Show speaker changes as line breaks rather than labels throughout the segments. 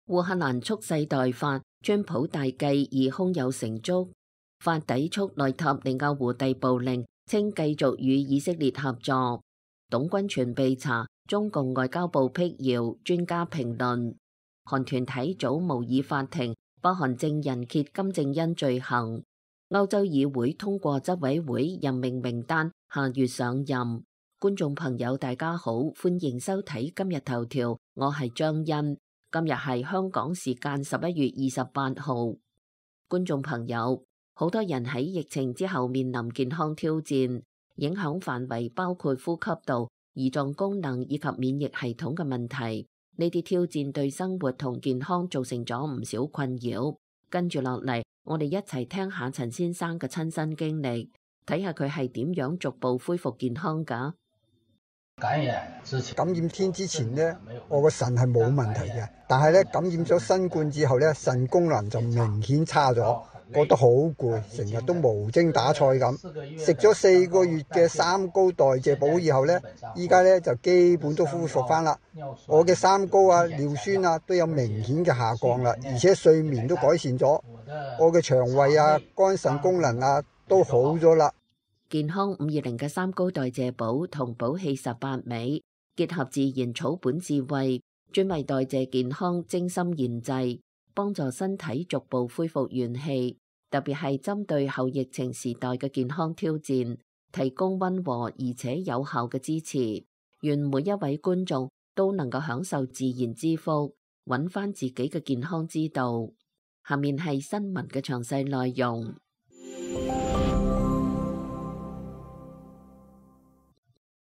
烏克蘭蓄勢待發，川普大計已胸有成竹。法抵觸內塔尼亞胡逮捕令，稱繼續與以色列合作。董軍全被查，中共外交部辟謠，專家評論。韓團體組模擬法庭，北韓證人揭金正恩罪行。歐洲議會通過執委會任命名單，下月上任。觀眾朋友大家好，歡迎收睇今日頭條，我係張欣。今日係香港時間11月28號。觀眾朋友，好多人喺疫情之後面臨健康挑戰，影響範圍包括呼吸道、胰臟功能以及免疫系統嘅問題。呢啲挑戰對生活同健康造成咗唔少困擾。跟住落嚟，我哋一齊聽下陳先生嘅親身經歷，睇下佢係點樣逐步恢復健康㗎。
感染天之前呢，我個腎係冇問題嘅，但係咧感染咗新冠之後咧，腎功能就明顯差咗，覺得好攰，成日都無精打采咁。食咗4個月嘅三高代謝補以後咧，依家咧就基本都恢復翻啦。我嘅三高啊、尿酸啊都有明顯嘅下降啦，而且睡眠都改善咗，我嘅腸胃啊、肝腎功能啊都好咗啦。
健康520嘅三高代謝補同補氣18味，結合自然草本智慧，專為代謝健康精心研製，幫助身體逐步恢復元氣。特別係針對後疫情時代嘅健康挑戰，提供溫和而且有效嘅支持。願每一位觀眾都能夠享受自然之福，揾翻自己嘅健康之道。下面係新聞嘅詳細內容。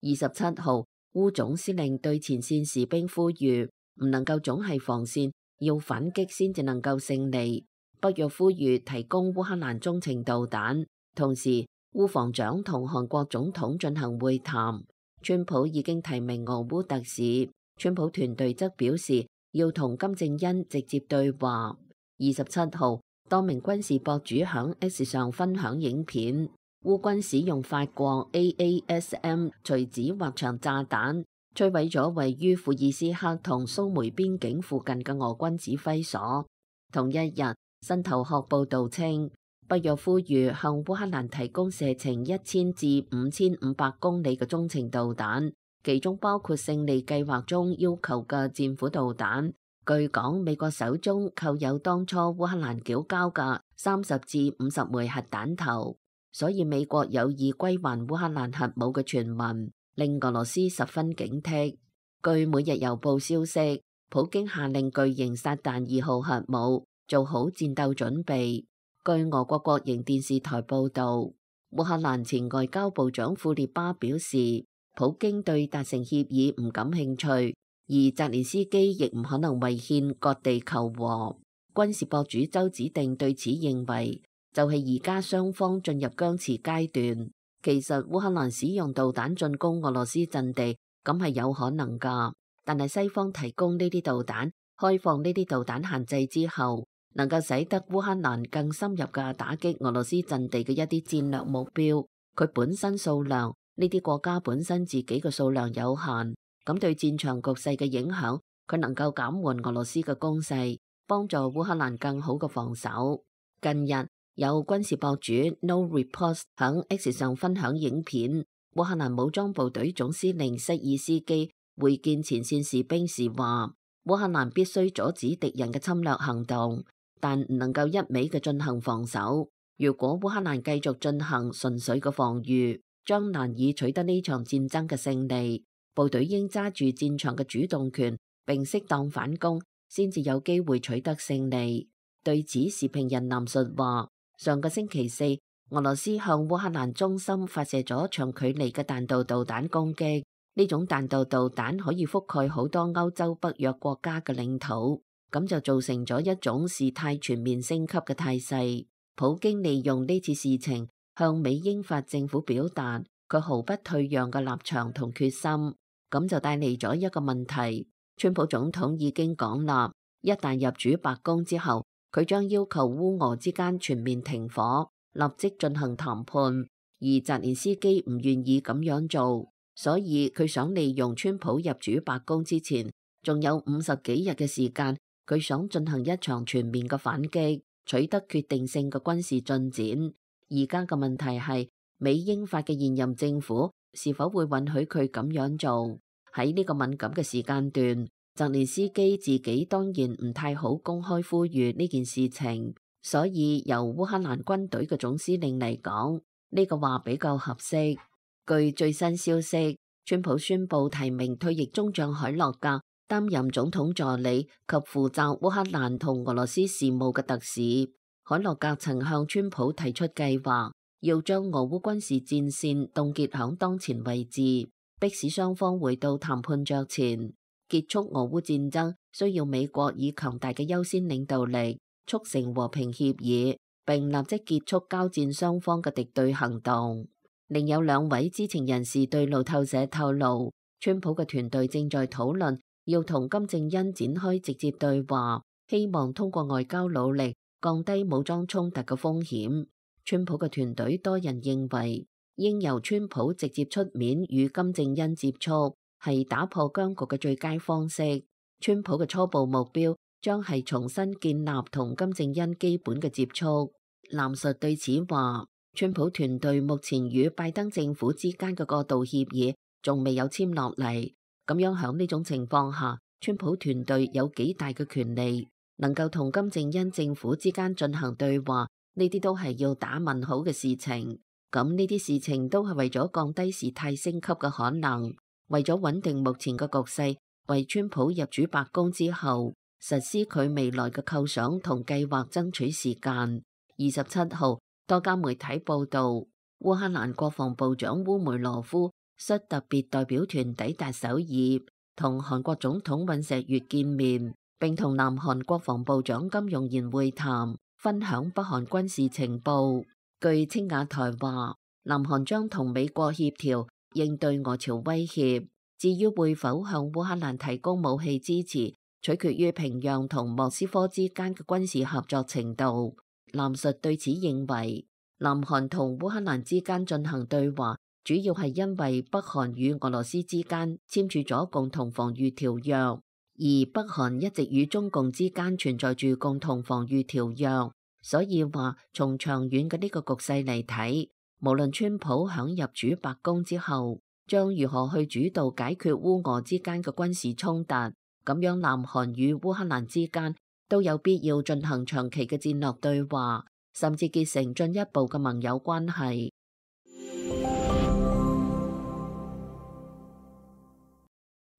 27號，烏總司令對前線士兵呼籲，唔能夠總係防線，要反擊先至能夠勝利。北約呼籲提供烏克蘭中程導彈，同時烏防長同韓國總統進行會談。川普已經提名俄烏特使，川普團隊則表示要同金正恩直接對話。27號，多名軍事博主響 X 上分享影片。烏軍使用法國 AASM 隨指滑翔炸彈，摧毀咗位於庫爾斯克同蘇梅邊境附近嘅俄軍指揮所。同一日，新頭殼報道稱，北約呼籲向烏克蘭提供射程1000至5500公里嘅中程導彈，其中包括勝利計劃中要求嘅戰斧導彈。據講，美國手中扣有當初烏克蘭繳交嘅30至50枚核彈頭。所以美國有意歸還烏克蘭核武嘅傳聞，令俄羅斯十分警惕。據每日郵報消息，普京下令巨型撒旦2號核武做好戰鬥準備。據俄國國營電視台報導，烏克蘭前外交部長庫列巴表示，普京對達成協議唔感興趣，而澤連斯基亦唔可能違憲割地求和。軍事博主周子定對此認為，就係而家雙方進入僵持階段。其實烏克蘭使用導彈進攻俄羅斯陣地，咁係有可能㗎。但係西方提供呢啲導彈，開放呢啲導彈限制之後，能夠使得烏克蘭更深入嘅打擊俄羅斯陣地嘅一啲戰略目標。佢本身數量，呢啲國家本身自己嘅數量有限，咁對戰場局勢嘅影響，佢能夠減緩俄羅斯嘅攻勢，幫助烏克蘭更好嘅防守。近日，有軍事博主 No Report 響 X 上分享影片，烏克蘭武裝部隊總司令瑟爾斯基會見前線士兵時話，烏克蘭必須阻止敵人嘅侵略行動，但唔能夠一味嘅進行防守。如果烏克蘭繼續進行純粹嘅防禦，將難以取得呢場戰爭嘅勝利。部隊應揸住戰場嘅主動權，並適當反攻，先至有機會取得勝利。對此，時評人藍述話，上個星期四，俄羅斯向烏克蘭中心發射咗長距離嘅彈道導彈攻擊。呢種彈道導彈可以覆蓋好多歐洲北約國家嘅領土，咁就造成咗一種事態全面升級嘅態勢。普京利用呢次事情向美英法政府表達佢毫不退讓嘅立場同決心，咁就帶嚟咗一個問題。川普總統已經講啦，一旦入主白宮之後，佢將要求烏俄之間全面停火，立即進行談判，而澤連斯基唔願意咁樣做，所以佢想利用川普入主白宮之前，仲有50幾日嘅時間，佢想進行一場全面嘅反擊，取得決定性嘅軍事進展。而家嘅問題係美英法嘅現任政府是否會允許佢咁樣做？喺呢個敏感嘅時間段，澤連斯基自己當然唔太好公開呼籲呢件事情，所以由烏克蘭軍隊嘅總司令嚟講，呢個話比較合適。據最新消息，川普宣布提名退役中將海洛格擔任總統助理及負責烏克蘭同俄羅斯事務嘅特使。海洛格曾向川普提出計劃，要將俄烏軍事戰線凍結響當前位置，迫使雙方回到談判桌前。結束俄烏戰爭需要美國以強大嘅優先領導力，促成和平協議，並立即結束交戰雙方嘅敵對行動。另有兩位知情人士對路透社透露，川普嘅團隊正在討論要同金正恩展開直接對話，希望通過外交努力降低武裝衝突嘅風險。川普嘅團隊多人認為，應由川普直接出面與金正恩接觸，係打破僵局嘅最佳方式。川普嘅初步目標將係重新建立同金正恩基本嘅接觸。藍述對此話，川普團隊目前與拜登政府之間嘅過渡協議仲未有簽落嚟，咁樣響呢種情況下，川普團隊有幾大嘅權利能夠同金正恩政府之間進行對話，呢啲都係要打問號嘅事情。咁呢啲事情都係為咗降低事態升級嘅可能，為咗穩定目前嘅局勢，為川普入主白宮之後實施佢未來嘅構想同計劃爭取時間。27號，多家媒體報道，烏克蘭國防部長烏梅羅夫率特別代表團抵達首爾，同韓國總統尹錫悅見面，並同南韓國防部長金容賢會談，分享北韓軍事情報。據青瓦台話，南韓將同美國協調應對俄朝威脅，至於會否向烏克蘭提供武器支持，取決於平壤同莫斯科之間嘅軍事合作程度。藍述對此認為，南韓同烏克蘭之間進行對話，主要係因為北韓與俄羅斯之間簽署咗共同防禦條約，而北韓一直與中共之間存在住共同防禦條約。所以話，從長遠嘅呢個局勢嚟睇，無論川普響入主白宮之後，將如何去主導解決烏俄之間嘅軍事衝突，咁樣南韓與烏克蘭之間都有必要進行長期嘅戰略對話，甚至結成進一步嘅盟友關係。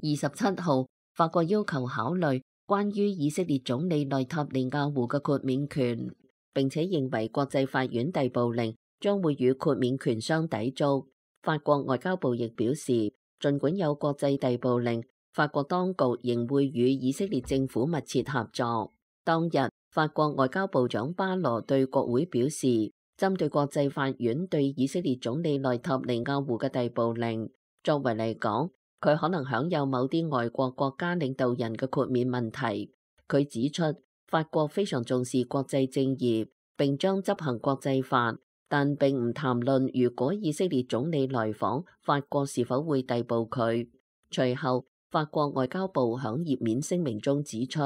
27號，法國要求考慮關於以色列總理內塔尼亞胡嘅豁免權，並且認為國際法院逮捕令將會與豁免權相抵觸。法國外交部亦表示，儘管有國際逮捕令，法國當局仍會與以色列政府密切合作。當日，法國外交部長巴羅對國會表示，針對國際法院對以色列總理內塔尼亞胡嘅逮捕令，作為嚟講，佢可能享有某啲外國國家領導人嘅豁免問題。佢指出，法國非常重視國際正義，並將執行國際法，但並唔談論如果以色列總理來訪，法國是否會逮捕佢。隨後，法國外交部響頁面聲明中指出，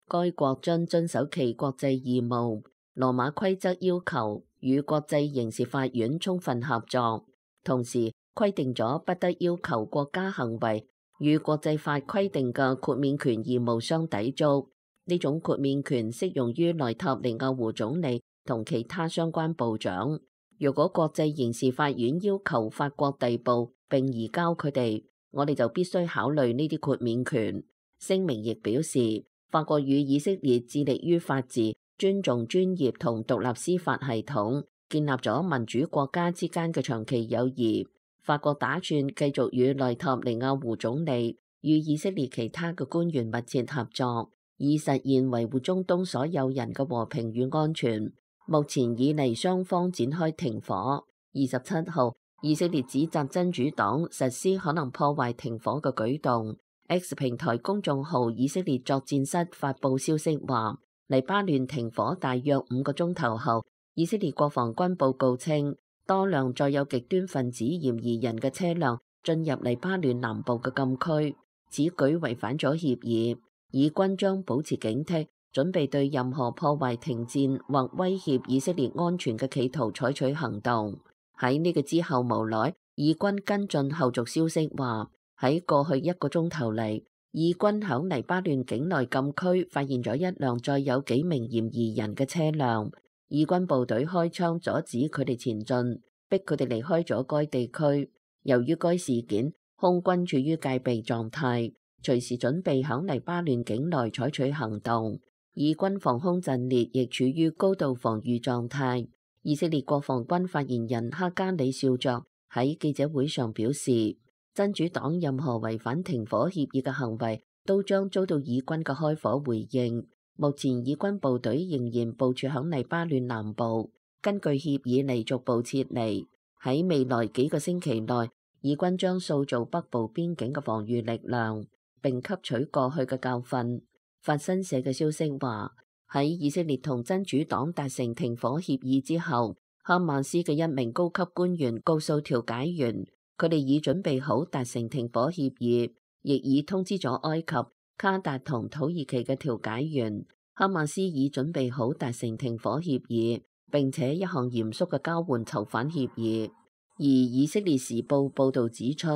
該國將遵守其國際義務，羅馬規則要求與國際刑事法院充分合作，同時規定咗不得要求國家行為與國際法規定嘅豁免權義務相抵觸。呢種豁免權適用於內塔尼亞胡總理同其他相關部長。如果國際刑事法院要求法國逮捕並移交佢哋，我哋就必須考慮呢啲豁免權。聲明亦表示，法國與以色列致力於法治、尊重專業同獨立司法系統，建立咗民主國家之間嘅長期友誼。法國打算繼續與內塔尼亞胡總理與以色列其他嘅官員密切合作，以實現維護中東所有人嘅和平與安全。目前以嚟，雙方展開停火。27號，以色列指責真主黨實施可能破壞停火嘅舉動。X 平台公眾號以色列作戰室發佈消息話，黎巴嫩停火大約5個鐘頭後，以色列國防軍報告稱，多輛載有極端分子嫌疑人嘅車輛進入黎巴嫩南部嘅禁區，此舉違反咗協議。以軍將保持警惕，準備對任何破壞停戰或威脅以色列安全嘅企圖採取行動。喺呢個之後無耐，以軍跟進後續消息話，喺過去1個鐘頭嚟，以軍喺黎巴嫩境內禁區發現咗一輛載有幾名嫌疑人嘅車輛，以軍部隊開槍阻止佢哋前進，逼佢哋離開咗該地區。由於該事件，空軍處於戒備狀態，隨時準備喺黎巴嫩境內採取行動。以軍防空陣列亦處於高度防禦狀態。以色列國防軍發言人哈加里少佐喺記者會上表示，真主黨任何違反停火協議嘅行為都將遭到以軍嘅開火回應。目前以軍部隊仍然部署響黎巴嫩南部，根據協議嚟逐步撤離。喺未來幾個星期內，以軍將塑造北部邊境嘅防禦力量，並吸取過去嘅教訓。法新社嘅消息話，喺以色列同真主黨達成停火協議之後，哈馬斯嘅一名高級官員告訴調解員，佢哋已準備好達成停火協議，亦已通知咗埃及、卡達同土耳其嘅調解員。哈馬斯已準備好達成停火協議，並且一項嚴肅嘅交換囚犯協議。而以色列時報報導指出，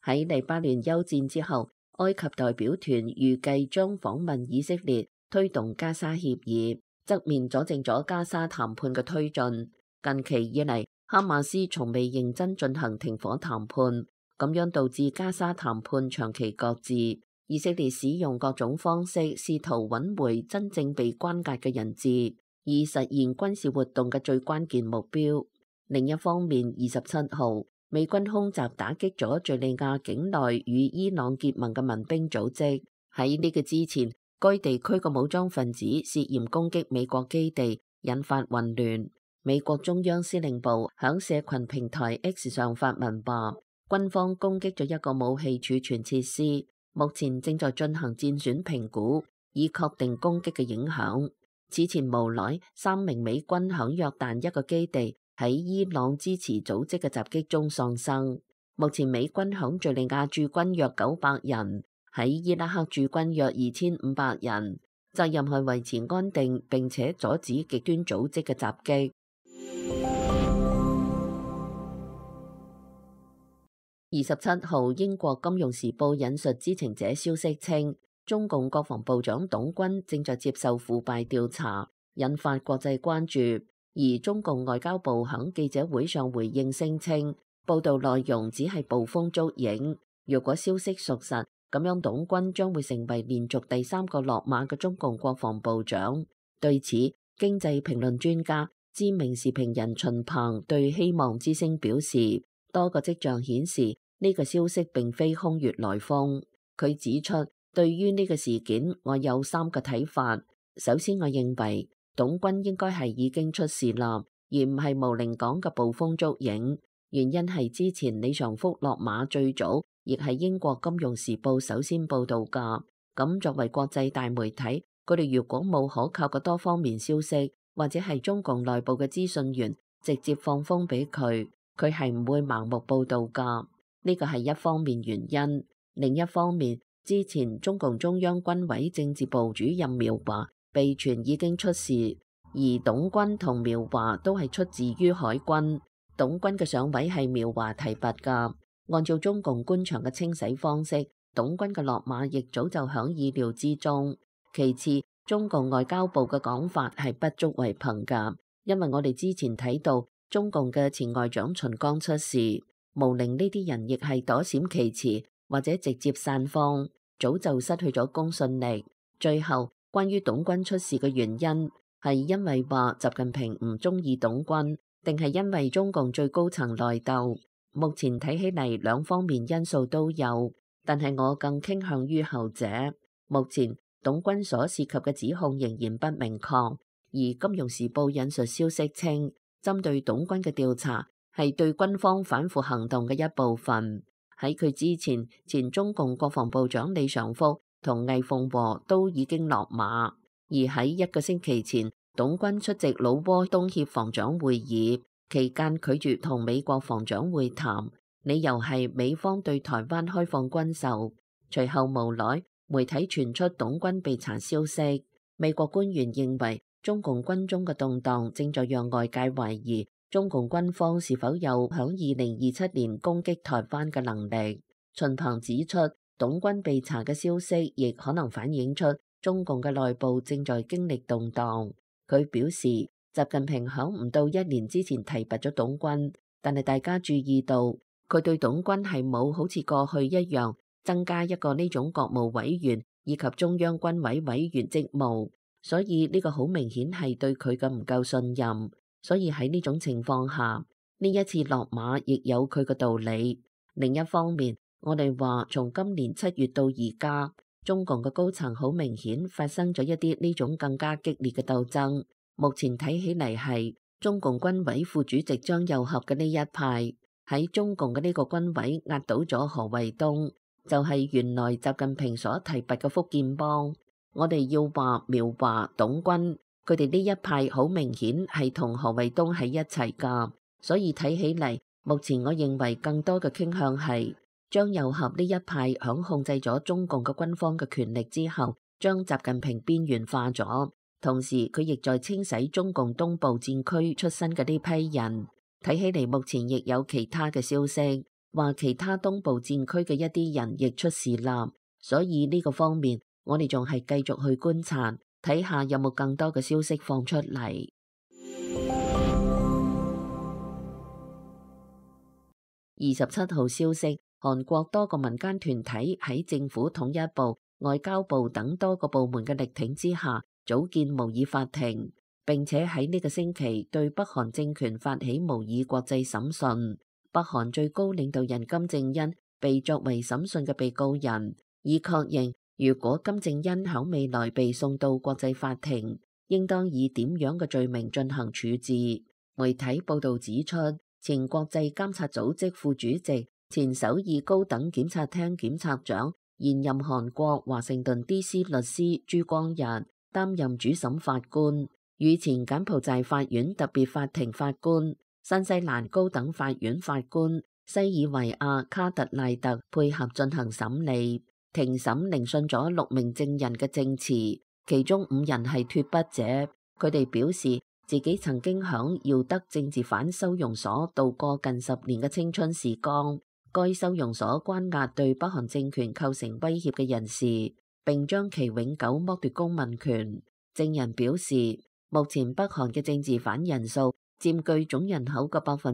喺黎巴嫩休戰之後，埃及代表團預計將訪問以色列，推動加沙協議，側面阻靜咗加沙談判嘅推進。近期以嚟，哈馬斯從未認真進行停火談判，咁樣導致加沙談判長期擱置。以色列使用各種方式試圖揾回真正被關押嘅人質，以實現軍事活動嘅最關鍵目標。另一方面，27號，美軍空襲打擊咗敘利亞境內與伊朗結盟嘅民兵組織。喺呢個之前，該地區嘅武裝分子涉嫌攻擊美國基地，引發混亂。美國中央司令部響社群平台 X 上發文話，軍方攻擊咗一個武器儲存設施，目前正在進行戰損評估，以確定攻擊嘅影響。此前無耐，3名美軍響約旦一個基地喺伊朗支持組織嘅襲擊中喪生。目前美軍響敘利亞駐軍約900人，喺伊拉克駐軍約2500人，責任係維持安定並且阻止極端組織嘅襲擊。27號，英國金融時報引述知情者消息稱，中共國防部長董軍正在接受腐敗調查，引發國際關注。而中共外交部喺記者會上回應聲稱，報道內容只係捕風捉影。若果消息屬實，咁樣董軍將會成為連續第3個落馬嘅中共國防部長。對此，經濟評論專家、知名時評人秦鵬對希望之聲表示，多個跡象顯示呢個消息並非空穴來風。佢指出，對於呢個事件，我有3個睇法。首先，我認為董軍應該係已經出事啦，而唔係毛寧講嘅捕風捉影。原因係之前李尚福落馬最早，亦係英國金融時報首先報導㗎。咁作為國際大媒體，佢哋如果冇可靠嘅多方面消息，或者係中共內部嘅資訊員直接放風俾佢，佢係唔會盲目報導㗎。呢個係一方面原因。另一方面，之前中共中央軍委政治部主任苗華被傳已經出事，而董軍同苗華都係出自於海軍。董軍嘅上位係苗華提拔㗎。按照中共官場嘅清洗方式，董軍嘅落馬亦早就響意料之中。其次，中共外交部嘅講法係不足為憑㗎，因為我哋之前睇到中共嘅前外長秦剛出事，毛寧呢啲人亦係躲閃其詞或者直接散放，早就失去咗公信力。最後，關於董軍出事嘅原因，係因為話習近平唔中意董軍，定係因為中共最高層內鬥？目前睇起嚟兩方面因素都有，但係我更傾向於後者。目前董軍所涉及嘅指控仍然不明確，而金融時報引述消息稱，針對董軍嘅調查係對軍方反腐行動嘅一部分。喺佢之前，前中共國防部長李尚福同魏鳳和都已經落馬，而喺一個星期前，董軍出席老撾東協防長會議期間拒絕同美國防長會談，理由係美方對台灣開放軍售。隨後無奈，媒體傳出董軍被查消息。美國官員認為，中共軍中嘅動盪正在讓外界懷疑中共軍方是否有響2027年攻擊台灣嘅能力。秦鵬指出，董軍被查嘅消息亦可能反映出中共嘅內部正在經歷動盪。佢表示，習近平響唔到1年之前提拔咗董軍，但係大家注意到佢對董軍係冇好似過去一樣增加一個呢種國務委員以及中央軍委委員職務，所以呢個好明顯係對佢嘅唔夠信任。所以喺呢種情況下，呢一次落馬亦有佢嘅道理。另一方面，我哋話從今年7月到而家，中共嘅高層好明顯發生咗一啲呢種更加激烈嘅鬥爭。目前睇起嚟係中共軍委副主席張又俠嘅呢一派喺中共嘅呢個軍委壓倒咗何衛東，就係原來習近平所提拔嘅福建幫。我哋要話苗華、董軍，佢哋呢一派好明顯係同何衛東喺一齊噶，所以睇起嚟，目前我認為更多嘅傾向係張又俠呢一派響控制咗中共嘅軍方嘅權力之後，將習近平邊緣化咗，同時佢亦在清洗中共東部戰區出身嘅呢批人。睇起嚟目前亦有其他嘅消息，話其他東部戰區嘅一啲人亦出事啦，所以呢個方面我哋仲係繼續去觀察，睇下有冇更多嘅消息放出嚟。27號消息，韓國多個民間團體喺政府統一部、外交部等多個部門嘅力挺之下，組建模擬法庭，並且喺呢個星期對北韓政權發起模擬國際審訊。北韓最高領導人金正恩被作為審訊嘅被告人，以確認如果金正恩響未來被送到國際法庭，應當以點樣嘅罪名進行處置。媒體報道指出，前國際監察組織副主席、前首爾高等檢察廳檢察長、現任韓國華盛頓 DC 律師朱光日擔任主審法官，與前柬埔寨法院特別法庭法官、新西蘭高等法院法官西爾維亞卡特賴特配合進行審理。庭審聆訊咗6名證人嘅證詞，其中5人係脫北者，佢哋表示自己曾經響耀德政治犯收容所度過近10年嘅青春時光。該收容所關押對北韓政權構成威脅嘅人士，並將其永久剝奪公民權。證人表示，目前北韓嘅政治犯人數佔據總人口嘅0.5%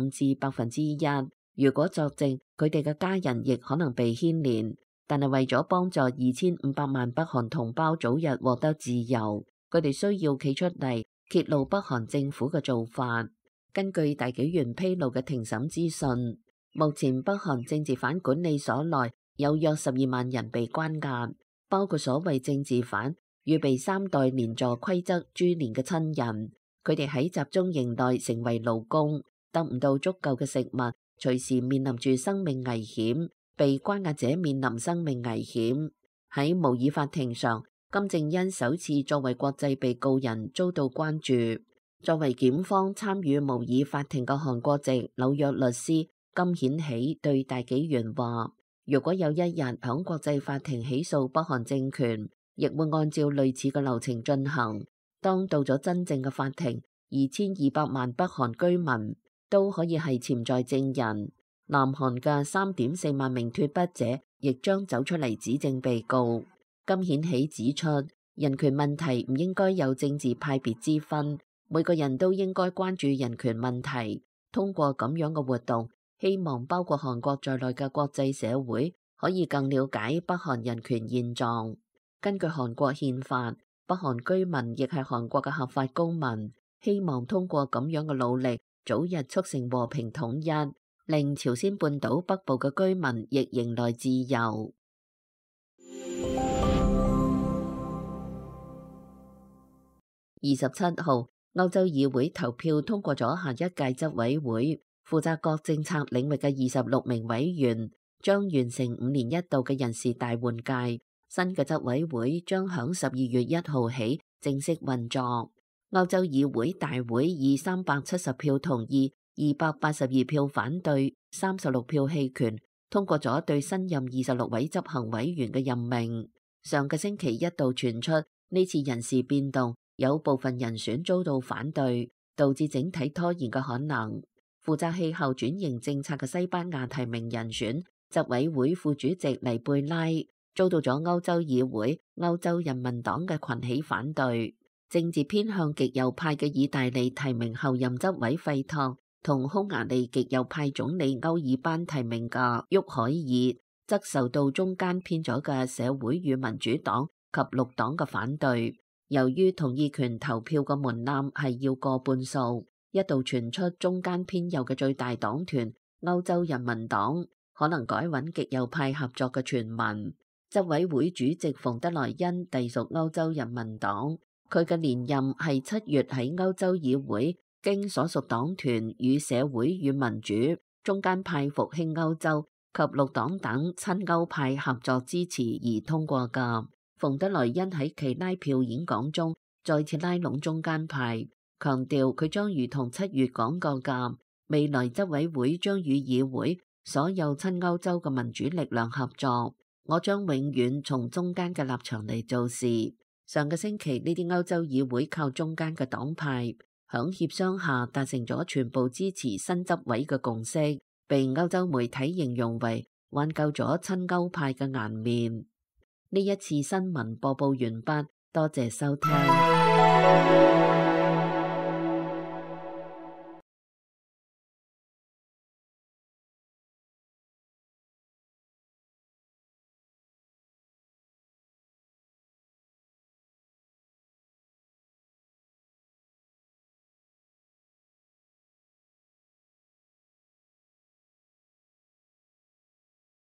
至1%。如果作證，佢哋嘅家人亦可能被牽連。但係為咗幫助2500萬北韓同胞早日獲得自由，佢哋需要企出嚟揭露北韓政府嘅做法。根據大紀元披露嘅庭審資訊，目前北韓政治犯管理所內有約12萬人被關押，包括所謂政治犯與被3代連坐規則株連嘅親人。佢哋喺集中營內成為勞工，得唔到足夠嘅食物，隨時面臨住生命危險。被關押者面臨生命危險。喺模擬法庭上，金正恩首次作為國際被告人遭到關注。作為檢方參與模擬法庭嘅韓國籍紐約律師金顯喜對大紀元話，如果有一日響國際法庭起訴北韓政權，亦會按照類似嘅流程進行。當到咗真正嘅法庭，2200萬北韓居民都可以係潛在證人。南韓嘅3.4萬名脫北者亦將走出嚟指證被告。金顯喜指出，人權問題唔應該有政治派別之分，每個人都應該關注人權問題。通過咁樣嘅活動，希望包括韓國在內嘅國際社會可以更了解北韓人權現狀。根據韓國憲法，北韓居民亦係韓國嘅合法公民，希望通過咁樣嘅努力，早日促成和平統一，令朝鮮半島北部嘅居民亦迎來自由。27號，歐洲議會投票通過咗下一屆執委會，負責各政策領域嘅26名委員將完成5年一度嘅人事大換屆。新嘅執委會將響12月1號起正式運作。歐洲議會大會以370票同意、282票反對、36票棄權，通過咗對新任26位執行委員嘅任命。上個星期一度傳出呢次人事變動有部分人選遭到反對，導致整體拖延嘅可能。負責氣候轉型政策嘅西班牙提名人選執委會副主席尼貝拉遭到咗歐洲議會歐洲人民黨嘅群起反對。政治偏向極右派嘅意大利提名後任執委費托同匈牙利極右派總理歐爾班提名嘅沃海爾則受到中間偏左嘅社會與民主黨及綠黨嘅反對。由於同意權投票嘅門檻係要過半數，一度傳出中間偏右嘅最大黨團歐洲人民黨可能改揾極右派合作嘅傳聞。執委會主席馮德萊恩隸屬歐洲人民黨，佢嘅連任係7月喺歐洲議會經所屬黨團與社會與民主、中間派復興歐洲及綠黨等親歐派合作支持而通過㗎。馮德萊恩喺其拉票演講中再次拉攏中間派，強調佢將如同7月講過㗎，未來執委會將與議會所有親歐洲嘅民主力量合作，我將永遠從中間嘅立場嚟做事。上個星期呢啲歐洲議會靠中間嘅黨派響協商下達成咗全部支持新執委嘅共識，被歐洲媒體形容為挽救咗親歐派嘅顏面。呢一次新聞播報完畢，多謝收聽。